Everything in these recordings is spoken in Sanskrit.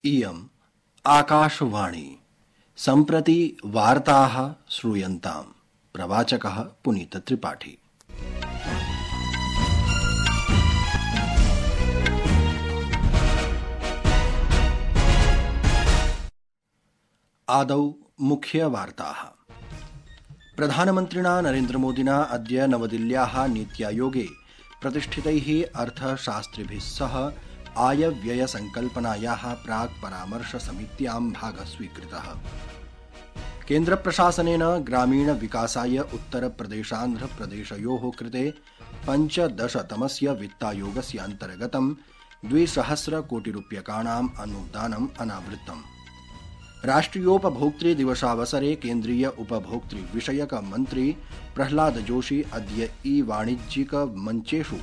इयम् आकाशवाणी सम्प्रति वार्ताः श्रूयन्ताम्। प्रवाचकः पुनीतत्रिपाठी। आदौ मुख्यवार्ताः। प्रधानमन्त्रिणा नरेन्द्रमोदिना अद्य नवदिल्ल्याः नीत्यायोगे प्रतिष्ठितैः अर्थशास्त्रिभिः सह आयव्ययसंकल्पनायाः प्राक् परामर्शसमित्यां भागः स्वीकृतः। केन्द्रप्रशासनेन ग्रामीणविकासाय उत्तरप्रदेशान्ध्रप्रदेशयोः कृते 15तमस्य वित्तायोगस्य अन्तर्गतं 200 कोटिरूप्यकाणाम् अनुदानम् अनावृत्तम्। राष्ट्रियोपभोक्तृ दिवसावसरे केन्द्रीय उपभोक्तृ विषयक मन्त्री प्रह्लाद जोशी अद्य ई-वाणिज्यिक मञ्चेषु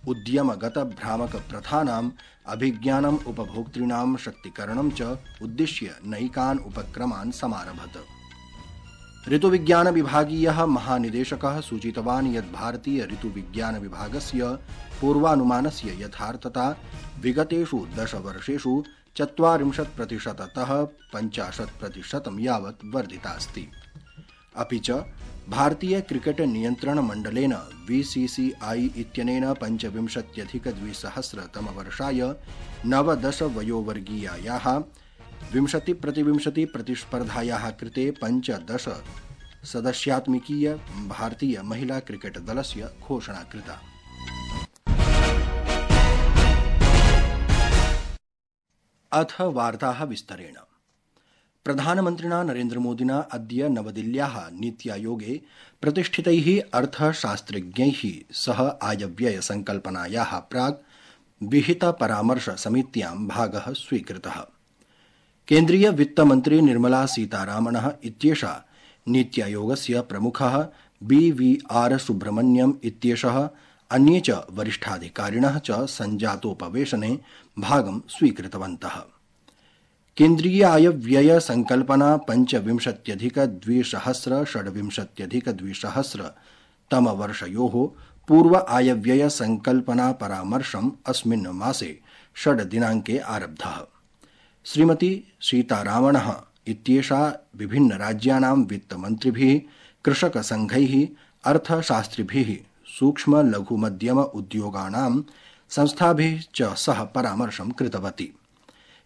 उद्यमगत भ्रामक प्रथानाम् अभिज्ञानम् उपभोक्तॄणां शक्तिकरणं च उद्दिश्य नैकान् उपक्रमान् समारभत। ऋतुविज्ञान विभागीयः महानिदेशकः सूचितवान् यत् भारतीय ऋतुविज्ञान विभागस्य पूर्वानुमानस्य यथार्थता विगतेषु 10 वर्षेषु 40%तः 50% यावत् वर्धितास्ति। अपि च भारतीय क्रिकेट नियन्त्रण मण्डलेन बीसीसीआई इत्यनेन 25+200 तमवर्षाय 19 वयोवर्गीयायाः 20x20 प्रतिस्पर्धायाः कृते 15 सदस्यात्मिकीय भारतीय महिला क्रिकेट दलस्य घोषणा कृता। अथ वार्ताः विस्तरेण। प्रधानमन्त्रिणा नरेन्द्रमोदिना अद्य नवदिल्ल्याः नीत्यायोगे प्रतिष्ठितैः अर्थशास्त्रज्ञैः सह आयव्ययसंकल्पनायाः प्राक् विहितपरामर्शसमित्यां भागः स्वीकृतः। केन्द्रीय वित्तमन्त्री निर्मला सीतारामणः इत्येषा नीत्यायोगस्य प्रमुखः BVR सुब्रह्मण्यम् इत्येषः अन्ये च वरिष्ठाधिकारिणः च सञ्जातोपवेशने भागं स्वीकृतवन्तः। केन्द्रीयायव्यय संकल्पना 25+200-26+200 तमवर्षयोः पूर्व आयव्यय संकल्पना परामर्शम् अस्मिन् मासे 6 दिनाङ्के आरब्धः। श्रीमती सीतारामणः इत्येषा विभिन्नराज्यानां वित्तमन्त्रिभिः, कृषकसङ्घैः, अर्थशास्त्रिभिः, सूक्ष्म लघु मध्यम उद्योगानां संस्थाभिः च सह परामर्शं कृतवती।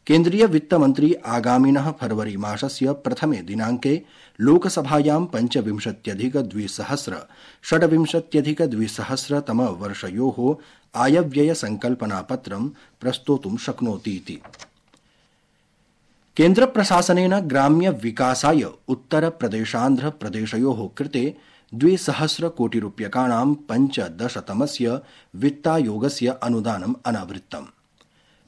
केन्द्रीय वित्तमन्त्री आगामिनः फरवरी मासस्य प्रथमे दिनाङ्के लोकसभायां 25+200-26+200 तमवर्षयोः आयव्यय संकल्पनापत्रं प्रस्तोतुं शक्नोतीति। केन्द्रप्रशासनेन ग्राम्य विकासाय उत्तरप्रदेशान्ध्रप्रदेशयोः कृते 200 कोटिरूप्यकाणां 15तमस्य वित्तायोगस्य अनुदानम् अनावृत्तम्।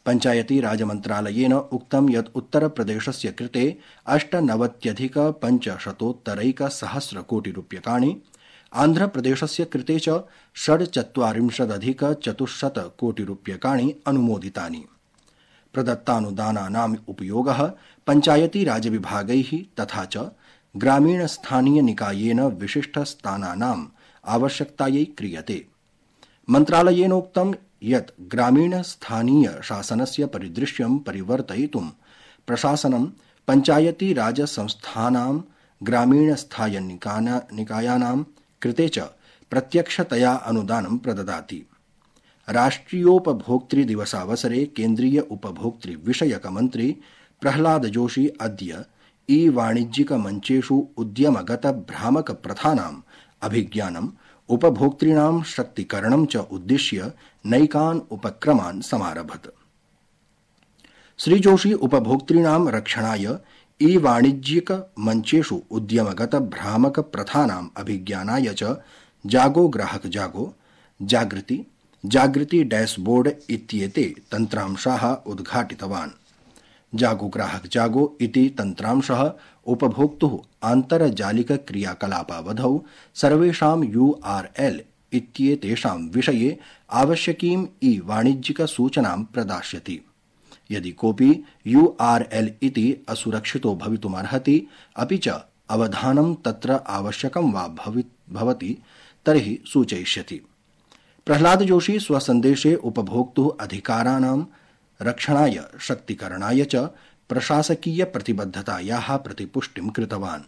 पञ्चायती राजमन्त्रालयेन उक्तं यत् उत्तरप्रदेशस्य कृते 98,500 कोटिरूप्यकाणि, आन्ध्रप्रदेशस्य कृते च 46,400 कोटिरूप्यकाणि अनुमोदितानि। प्रदत्तानुदानानाम् उपयोगः पञ्चायती राजविभागैः तथा च ग्रामीणस्थानीयनिकायेन विशिष्टस्थानानाम् आवश्यकतायै क्रियते। मन्त्रालयेनोक्तं यत् ग्रामीणस्थानीय शासनस्य परिदृश्यं परिवर्तयितुं प्रशासनं पञ्चायती राज संस्थानां ग्रामीणस्थानीयनिकायानां कृते च प्रत्यक्षतया अनुदानं प्रददाति। राष्ट्रियोपभोक्तृ दिवसावसरे केन्द्रीय उपभोक्तृ विषयक मन्त्री प्रह्लाद जोशी अद्य ई-वाणिज्यिक मञ्चेषु उद्यमगत भ्रामक प्रथानाम् अभिज्ञानम् उपभोक्तॄणां शक्तिकरणं च उद्दिश्य नैकान् उपक्रमान् समारभत। श्री जोशी उपभोक्तॄणां रक्षणाय ई-वाणिज्यिक मञ्चेषु उद्यमगत भ्रामक प्रथानाम् अभिज्ञानाय च जागो ग्राहक जागो, जागृति डैशबोर्ड इत्येते तन्त्रांशाः उद्घाटितवान्। जागो ग्राहक जागो इति तन्त्रांशः उपभोक्तुः आन्तर्जालिक क्रियाकलापावधौ सर्वेषां URL इत्येतेषां विषये आवश्यकीम् ई-वाणिज्यिक सूचनां प्रदास्यति। यदि कोऽपि URL इति असुरक्षितो भवितुमर्हति अपि च अवधानं तत्र आवश्यकं वा भवति तर्हि सूचयिष्यति। प्रह्लाद जोशी स्वसन्देशे उपभोक्तुः अधिकाराणां रक्षणाय शक्तिकरणाय च प्रशासकीय प्रतिबद्धतायाः प्रतिपुष्टिं कृतवान्।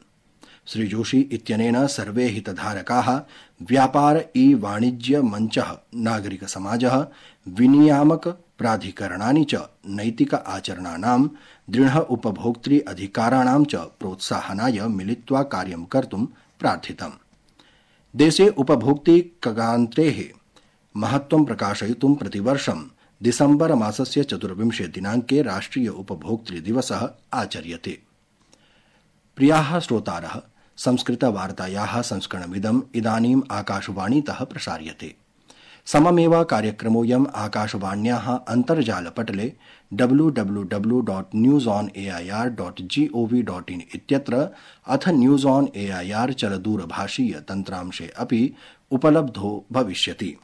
श्री जोशी इत्यनेन सर्वे हितधारकाः व्यापार ई वाणिज्य मंचः, नागरिक समाजः, विनियामक प्राधिकरणानि च नैतिक आचरणानां, दृढ उपभोक्तृ अधिकाराणां च प्रोत्साहनाय मिलित्वा कार्यं कर्तुं प्रार्थितम्। देशे उपभोक्तृकगान्त्रेः महत्त्वं प्रकाशयितुं प्रतिवर्षं दिसम्बर मासस्य 24 दिनाङ्के राष्ट्रिय उपभोक्तृ दिवसः आचर्यते। प्रियाः श्रोतारः, संस्कृतवार्तायाः संस्करणमिदम् इदानीम् आकाशवाणीतः प्रसार्यते। सममेव कार्यक्रमोऽयम् आकाशवाण्याः अन्तर्जालपटले www.newsonair.gov.in इत्यत्र अथ न्यूज ऑन एआईआर चलदूरभाषीय तन्त्रांशे अपि उपलब्धो भविष्यति।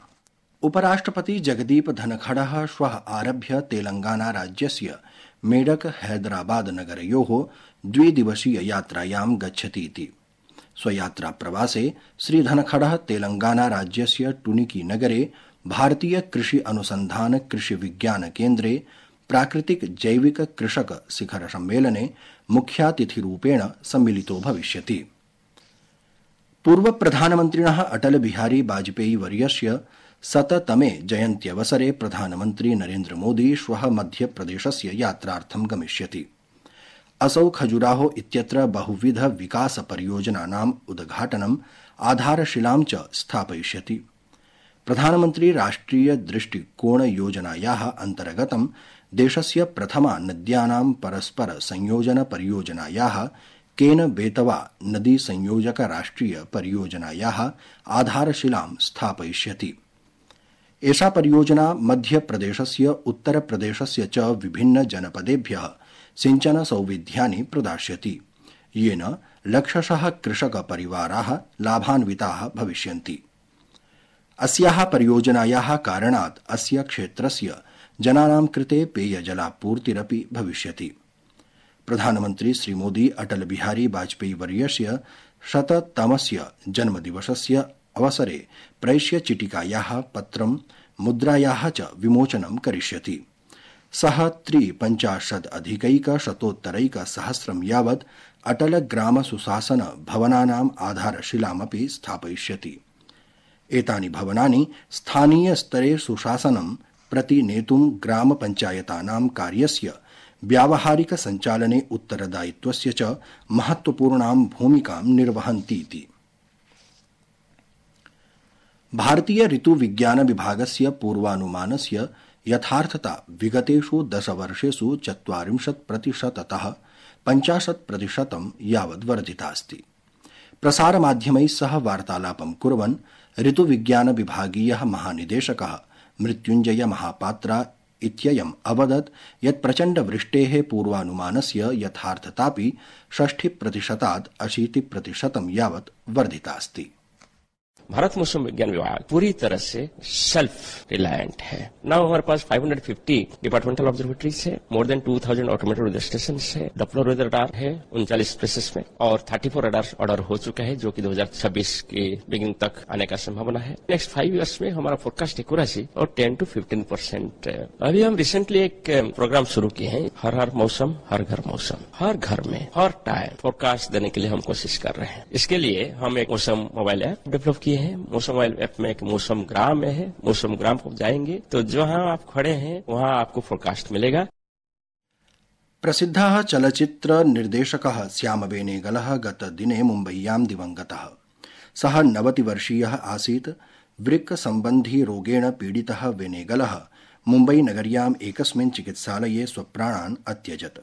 उपराष्ट्रपति जगदीप धनखडः श्वः आरभ्य तेलंगाना राज्यस्य मेडक हैदराबाद नगरयोः द्विदिवसीय यात्रायां गच्छति इति। स्वयात्रा प्रवासे श्री धनखडः तेलंगाना राज्यस्य टुनिकी नगरे भारतीय कृषि अनुसंधान कृषि विज्ञान केन्द्रे प्राकृतिक जैविक कृषक शिखर सम्मेलने मुख्यातिथिरूपेण सम्मिलितो भविष्यति। पूर्व प्रधानमन्त्रिणः अटल बिहारी वाजपेयी वर्यस्य 100तमे जयन्त्यवसरे प्रधानमन्त्री नरेन्द्र मोदी श्वः मध्यप्रदेशस्य यात्रार्थं गमिष्यति। असौ खजुराहो इत्यत्र बहुविध विकास परियोजनानाम् उद्घाटनम्, आधारशिलां च स्थापयिष्यति। प्रधानमन्त्री राष्ट्रिय दृष्टिकोण योजनायाः अन्तर्गतं देशस्य प्रथमा नद्यानां परस्पर संयोजन परियोजनायाः केन बेतवा नदी संयोजक राष्ट्रिय परियोजनायाः आधारशिलां स्थापयिष्यति। एषा परियोजना मध्यप्रदेशस्य उत्तरप्रदेशस्य च विभिन्न जनपदेभ्यः सिंचन सौविध्यानि प्रदास्यति, येन लक्षशः कृषक परिवाराः लाभान्विताः भविष्यन्ति। अस्याः परियोजनायाः कारणात् अस्य क्षेत्रस्य जनानां कृते पेयजलापूर्तिरपि भविष्यति। प्रधानमन्त्री श्री मोदी अटल बिहारी वाजपेयी वर्यस्य 100तमस्य जन्मदिवसस्य अवसरे प्रेष्य चिटिकायाः पत्रं, मुद्रायाः च विमोचनं करिष्यति। सः 53,अधिकैकशतोत्तरैकसहस्रं यावत् अटल ग्राम सुशासन भवनानाम् आधारशिलामपि स्थापयिष्यति। एतानि भवनानि स्थानीय स्तरे सुशासनं प्रतिनेतुं ग्राम पंचायतानां कार्यस्य व्यावहारिक सञ्चालने उत्तरदायित्वस्य च महत्वपूर्णां भूमिकां निर्वहन्तीति। भारतीय ऋतुविज्ञान विभागस्य पूर्वानुमानस्य यथार्थता विगतेषु 10 वर्षेषु 40%तः 50% यावत् वर्धितास्ति। प्रसारमाध्यमैः सह वार्तालापं कुर्वन् ऋतुविज्ञान विभागीयः महानिदेशकः मृत्युञ्जय महापात्रा इत्ययम् अवदत् यत् प्रचण्डवृष्टेः पूर्वानुमानस्य यथार्थतापि 60%तात् 80% यावत् वर्धितास्ति। भारत मौसम विज्ञान विभाग पूरी तरह से सेल्फ रिलायंट है। नाउ हमारे पास 550 डिपार्टमेंटल ऑब्जर्वेटरीज है, more than 2000 automated weather station है, डॉप्लर वेदर रडार है 39 प्लेसेस में, और 34 रडार ऑर्डर हो चुका है जो कि 2026 के बिगिनिंग तक आने का संभावना है। नेक्स्ट 5 इयर्स में हमारा फोरकास्ट एक्यूरेसी और 10 to 15%। अभी हम रिसेंटली एक प्रोग्राम शुरू किए हैं, हर मौसम हर घर मौसम, हर घर में हर टाइम फोरकास्ट देने के लिए हम कोशिश कर रहे हैं। इसके लिए हम एक मौसम मोबाइल ऐप डेवलप किए हैं। मौसम मोबाइल ऐप में एक मौसम ग्राम है। मौसम ग्राम को जाएंगे तो जहां आप खड़े हैं वहां आपको फोरकास्ट मिलेगा। प्रसिद्धः चलचित्र निर्देशकः श्याम बेनेगलः गतदिने मुम्बय्यां दिवंगतः। सः 90 वर्षीयः आसीत्। वृक्क सम्बन्धी रोगेण पीडितः बेनेगलः मुम्बई नगर्याम् एकस्मिन् चिकित्सालये स्वप्राणान् अत्यजत्।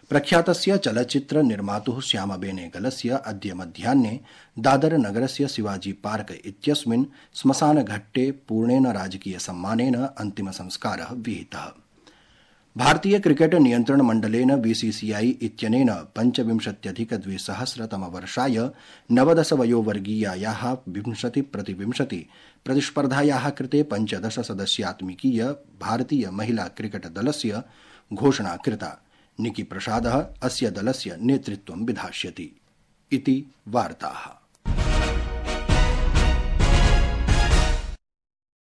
प्रख्यातस्य चलचित्र निर्मातुः श्याम बेनेगलस्य अद्य मध्याह्ने दादर नगरस्य शिवाजी पार्क इत्यस्मिन् श्मशानघट्टे पूर्णेन राजकीय सम्मानेन अन्तिम संस्कारः विहितः। भारतीय क्रिकेट नियन्त्रण मण्डलेन बीसीसीआई इत्यनेन 25,200तमवर्षाय 19 वयोवर्गीयायाः 20x20 प्रतिस्पर्धायाः कृते 15 सदस्यात्मिकीय भारतीय महिला क्रिकेट दलस्य घोषणा कृता। निकी प्रसादः अस्य दलस्य नेतृत्वं विधास्यति इति वार्ताः।